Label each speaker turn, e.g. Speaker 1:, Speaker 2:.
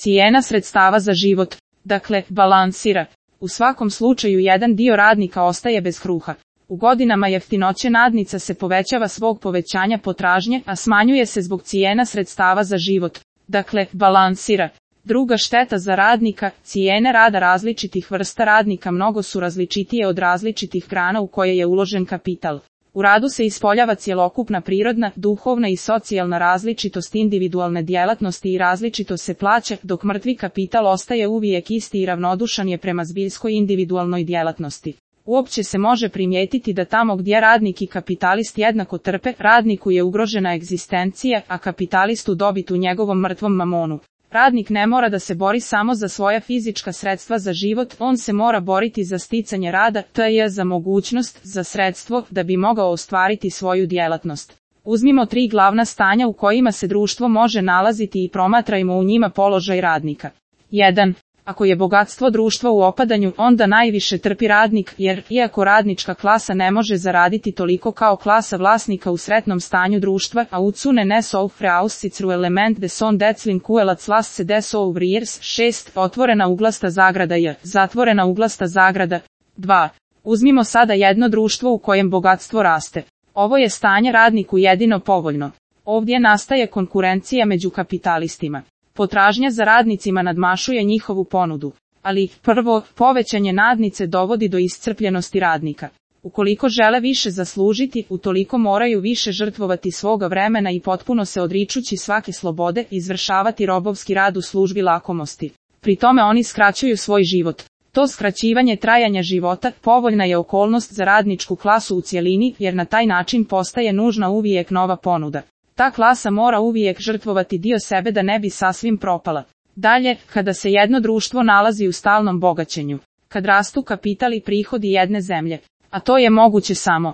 Speaker 1: Cijena sredstava za život, dakle, balansira. U svakom slučaju jedan dio radnika ostaje bez kruha. U godinama jeftinoće nadnica se povećava zbog povećanja potražnje, a smanjuje se zbog cijena sredstava za život. Dakle, balansira. Druga šteta za radnika, cijene rada različitih vrsta radnika mnogo su različitije od različitih grana u koje je uložen kapital. U radu se ispoljava cjelokupna prirodna, duhovna i socijalna različitost individualne djelatnosti i različito se plaća, dok mrtvi kapital ostaje uvijek isti i ravnodušan je prema zbiljskoj individualnoj djelatnosti. Uopće se može primijetiti da tamo gdje radnik i kapitalist jednako trpe, radniku je ugrožena egzistencija, a kapitalistu dobit u njegovom mrtvom mamonu. Radnik ne mora da se bori samo za svoja fizička sredstva za život, on se mora boriti za sticanje rada, tj. za mogućnost, za sredstvo, da bi mogao ostvariti svoju djelatnost. Uzmimo 3 glavna stanja u kojima se društvo može nalaziti i promatrajmo u njima položaj radnika. 1. Ako je bogatstvo društva u opadanju, onda najviše trpi radnik, jer, iako radnička klasa ne može zaraditi toliko kao klasa vlasnika u sretnom stanju društva, a ucune nes aufre aussicru element de son declin kuelac lasce des ouvriers, 6. Otvorena uglasta zagrada j, zatvorena uglasta zagrada. 2. Uzmimo sada jedno društvo u kojem bogatstvo raste. Ovo je stanje radniku jedino povoljno. Ovdje nastaje konkurencija među kapitalistima. Potražnja za radnicima nadmašuje njihovu ponudu. Ali, prvo, povećanje nadnice dovodi do iscrpljenosti radnika. Ukoliko žele više zaslužiti, utoliko moraju više žrtvovati svoga vremena i potpuno se odričući svake slobode, izvršavati robovski rad u službi lakomosti. Pri tome oni skraćuju svoj život. To skraćivanje trajanja života povoljna je okolnost za radničku klasu u cjelini, jer na taj način postaje nužna uvijek nova ponuda. Ta klasa mora uvijek žrtvovati dio sebe da ne bi sasvim propala. Dalje, kada se jedno društvo nalazi u stalnom bogaćenju, kad rastu kapital i prihodi jedne zemlje, a to je moguće samo